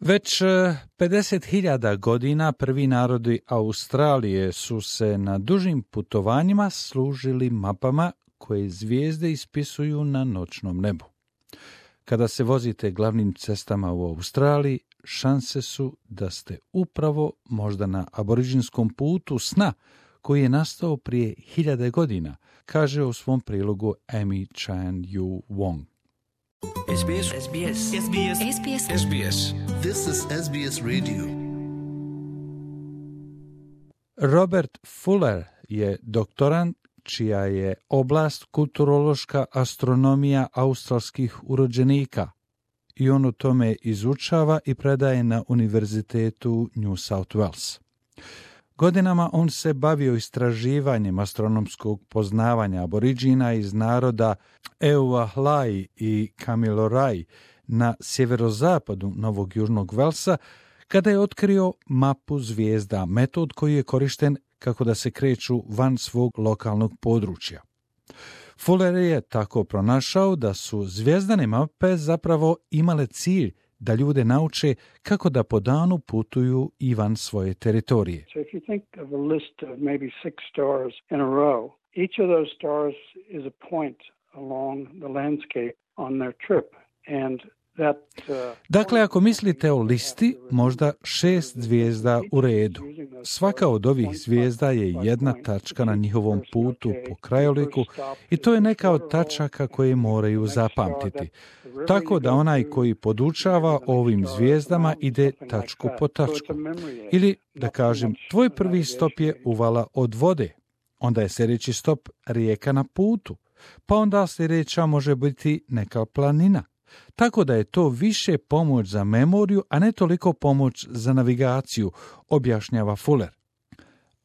Već 50.000 godina prvi narodi Australije su se na dužim putovanjima služili mapama koje zvijezde ispisuju na noćnom nebu. Kada se vozite glavnim cestama u Australiji, šanse su da ste upravo možda na aboriđinskom putu sna koji je nastao prije 1000 godina, kaže u svom prilogu Amy Chan Yu Wong. SBS. SBS. SBS. SBS. SBS. This is SBS Radio. Robert Fuller je doktorant čija je oblast kulturološka astronomija australskih urođenika i on o tome izučava i predaje na Univerzitetu New South Wales. Godinama on se bavio istraživanjem astronomskog poznavanja aboriđina iz naroda Eowahlai i Kamilaroi na sjeverozapadu Novog Južnog Velsa, kada je otkrio mapu zvijezda, metod koji je korišten kako da se kreću van svog lokalnog područja. Fuller je tako pronašao da su zvijezdane mape zapravo imale cilj da ljude nauče kako da po danu putuju i van svoje teritorije. So if you think of a list of maybe 6 stars in a row, each of those stars is a point along the landscape on their trip. And Dakle, ako mislite o listi, možda 6 zvijezda u redu. Svaka od ovih zvijezda je jedna tačka na njihovom putu po krajoliku i to je neka od tačaka koje moraju zapamtiti. Tako da onaj koji podučava o ovim zvijezdama ide tačku po tačku. Ili, da kažem, tvoj prvi stop je uvala od vode. Onda je sljedeći stop rijeka na putu. Pa onda sljedeća može biti neka planina. Tako da je to više pomoć za memoriju, a ne toliko pomoć za navigaciju, objašnjava Fuller.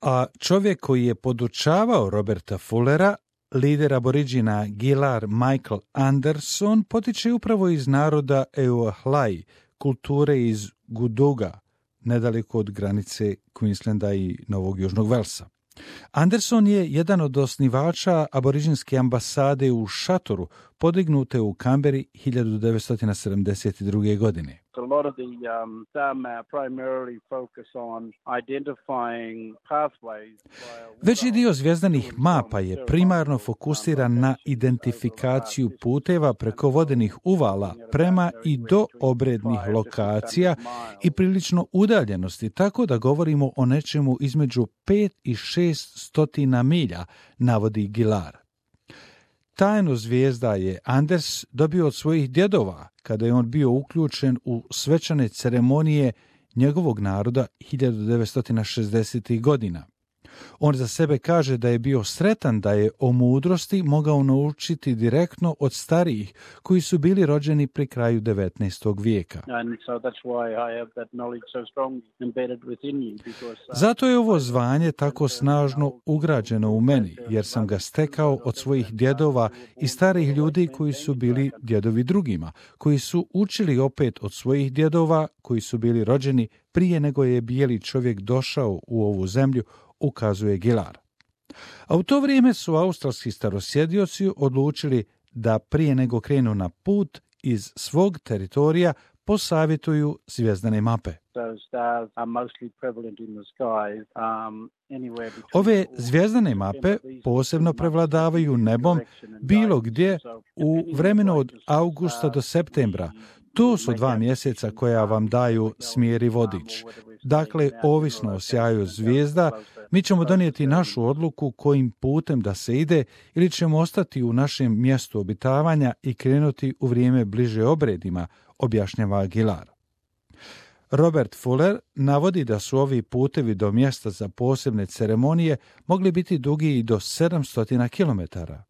A čovjek koji je podučavao Roberta Fullera, lider aboriđina Gilar Michael Anderson, potiče upravo iz naroda Eowahlai, kulture iz Guduga, nedaleko od granice Queenslanda i Novog Južnog Velsa. Anderson je jedan od osnivača aboriđinske ambasade u Šatoru, podignute u Kamberi 1972. godine. A lot of them primarily focus on identifying pathways. Veći dio zvijezdanih mapa je primarno fokusiran na identifikaciju puteva preko vodenih uvala prema i do obrednih lokacija i prilično udaljenosti, tako da govorimo o nečemu između 5 i 600 milja, navodi Gilar. Tajnu zvijezda je Anders dobio od svojih djedova kada je on bio uključen u svečane ceremonije njegovog naroda 1960. godina. On za sebe kaže da je bio sretan da je o mudrosti mogao naučiti direktno od starijih koji su bili rođeni pri kraju 19. vijeka. Zato je ovo zvanje tako snažno ugrađeno u meni, jer sam ga stekao od svojih djedova i starih ljudi koji su bili djedovi drugima, koji su učili opet od svojih djedova koji su bili rođeni prije nego je bijeli čovjek došao u ovu zemlju, ukazuje Gilar. A u to vrijeme su australski starosjedioci odlučili da prije nego krenu na put iz svog teritorija posavjetuju zvjezdane mape. Ove zvjezdane mape posebno prevladavaju nebom bilo gdje u vremenu od augusta do septembra. To su 2 mjeseca koja vam daju smjer i vodič. Dakle, ovisno o sjaju zvijezda, mi ćemo donijeti našu odluku kojim putem da se ide ili ćemo ostati u našem mjestu obitavanja i krenuti u vrijeme bliže obredima, objašnjava Gilar. Robert Fuller navodi da su ovi putevi do mjesta za posebne ceremonije mogli biti dugi i do 700 kilometara.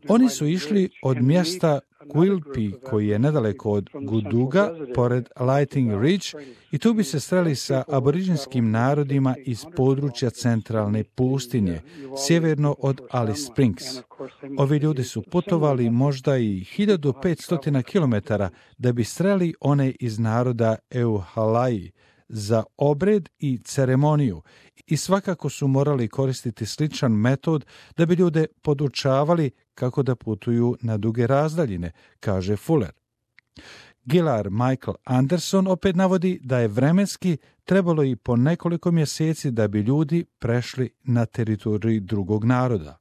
Oni su išli od mjesta Quilpie, koji je nedaleko od Guduga, pored Lightning Ridge, i tu bi se sreli sa aboriđinskim narodima iz područja centralne pustinje, sjeverno od Alice Springs. Ovi ljudi su putovali možda i 1500 km da bi sreli one iz naroda Eowahlai, za obred i ceremoniju i svakako su morali koristiti sličan metod da bi ljude podučavali kako da putuju na duge razdaljine, kaže Fuller. Gillard Michael Anderson opet navodi da je vremenski trebalo i po nekoliko mjeseci da bi ljudi prešli na teritorij drugog naroda.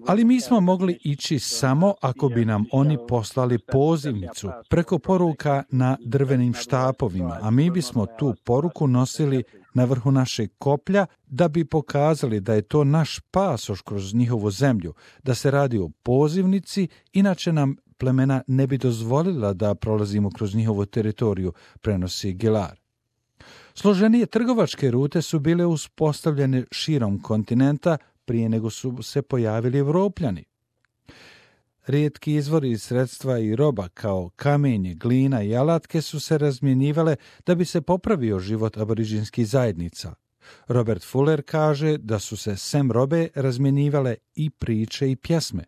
Ali mi smo mogli ići samo ako bi nam oni poslali pozivnicu preko poruka na drvenim štapovima, a mi bismo tu poruku nosili na vrhu našeg koplja da bi pokazali da je to naš pasoš kroz njihovu zemlju, da se radi o pozivnici, inače nam plemena ne bi dozvolila da prolazimo kroz njihovu teritoriju, prenosi Gillard. Složenije trgovačke rute su bile uspostavljene širom kontinenta prije nego su se pojavili Evropljani. Rijetki izvori sredstva i roba kao kamenje, glina i alatke su se razmjenjivale da bi se popravio život aboriđinskih zajednica. Robert Fuller kaže da su se sem robe razmjenjivale i priče i pjesme.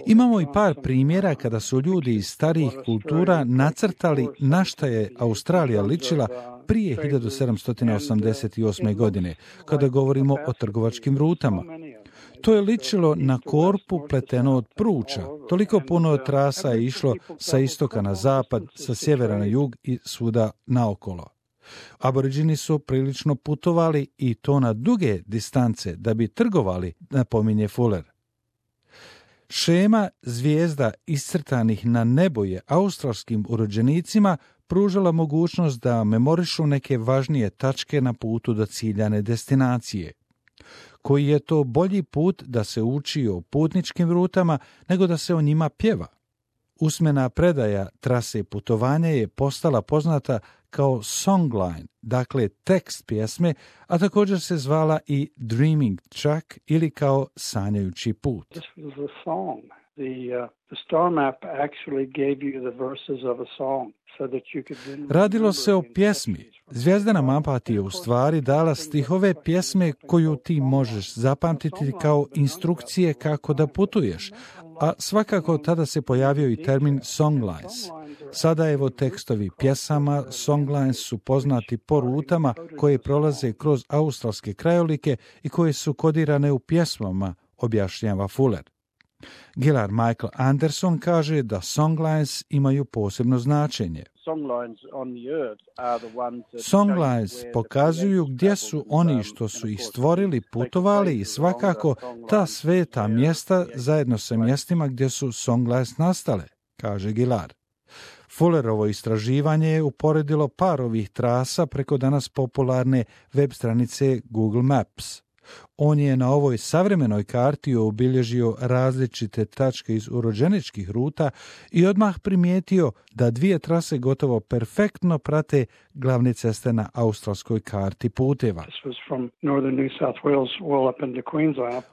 Imamo i par primjera kada su ljudi iz starijih kultura nacrtali na šta je Australija ličila prije 1788. godine, kada govorimo o trgovačkim rutama. To je ličilo na korpu pleteno od pruča. Toliko puno trasa je išlo sa istoka na zapad, sa sjevera na jug i svuda naokolo. Aboriđini su prilično putovali i to na duge distance da bi trgovali, napominje Fuller. Šema zvijezda iscrtanih na nebu je australskim urođenicima pružala mogućnost da memorišu neke važnije tačke na putu do ciljane destinacije. Koji je to bolji put da se uči o putničkim rutama nego da se o njima pjeva. Usmena predaja trase putovanja je postala poznata kao songline, dakle tekst pjesme, a također se zvala i Dreaming Track ili kao sanjajući put. Radilo se o pjesmi. Zvijezdana mapa ti je u stvari dala stihove pjesme koju ti možeš zapamtiti kao instrukcije kako da putuješ, a svakako tada se pojavio i termin songlines. Sada evo tekstovi pjesama, songlines su poznati po rutama koje prolaze kroz australske krajolike i koje su kodirane u pjesmama, objašnjava Fuller. Gillard Michael Anderson kaže da songlines imaju posebno značenje. Songlines pokazuju gdje su oni što su ih stvorili putovali i svakako ta sveta mjesta zajedno sa mjestima gdje su songlines nastale, kaže Gillard. Fullerovo istraživanje je uporedilo par ovih trasa preko danas popularne web stranice Google Maps. On je na ovoj savremenoj karti obilježio različite tačke iz urođeničkih ruta i odmah primijetio da dvije trase gotovo perfektno prate glavne ceste na australskoj karti puteva.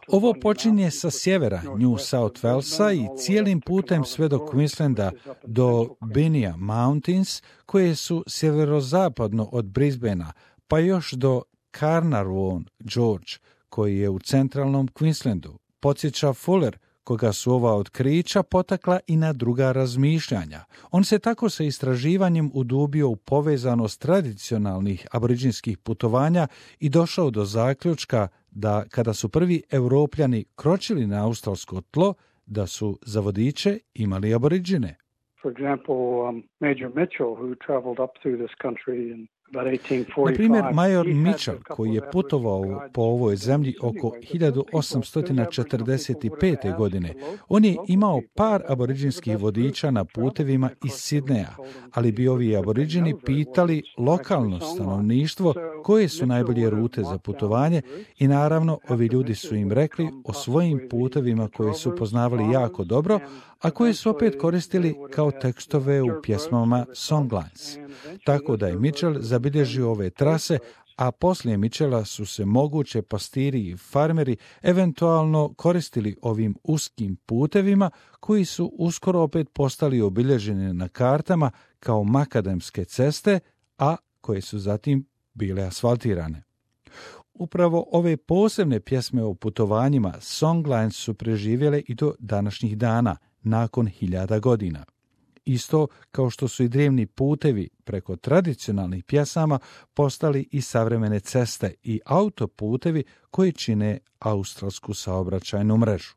Ovo počinje sa sjevera New South Walesa i cijelim putem sve do Queenslanda do Binia Mountains, koje su sjeverozapadno od Brisbanea, pa još do Carnarvon George, koji je u centralnom Queenslandu. Podsjeća Fuller, koga su ova otkrića potakla i na druga razmišljanja. On se tako sa istraživanjem udubio u povezanost tradicionalnih aboriđinskih putovanja i došao do zaključka da kada su prvi Evropljani kročili na australsko tlo, da su za vodiče imali aboriđine. For example, Major Mitchell, who traveled up through this country in na primjer, major Mitchell, koji je putovao po ovoj zemlji oko 1845. godine, on je imao par aboriđinskih vodiča na putevima iz Sidneja, ali bi ovi aboriđini pitali lokalno stanovništvo koje su najbolje rute za putovanje i naravno ovi ljudi su im rekli o svojim putevima koje su poznavali jako dobro, a koje su opet koristili kao tekstove u pjesmama songlines. Tako da je Mitchell zabilježio ove trase, a poslije Mitchella su se moguće pastiri i farmeri eventualno koristili ovim uskim putevima koji su uskoro opet postali obilježeni na kartama kao makadamske ceste, a koje su zatim bile asfaltirane. Upravo ove posebne pjesme o putovanjima Songlines su preživjele i do današnjih dana, nakon 1000 godina. Isto kao što su i drevni putevi preko tradicionalnih pjesama postali i savremene ceste i autoputevi koji čine australsku saobraćajnu mrežu.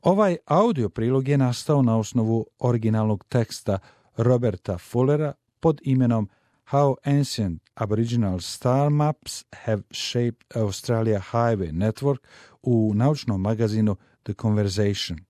Ovaj audio prilog je nastao na osnovu originalnog teksta Roberta Fullera pod imenom How Ancient Aboriginal Star Maps Have Shaped Australia Highway Network u naučnom magazinu The Conversation.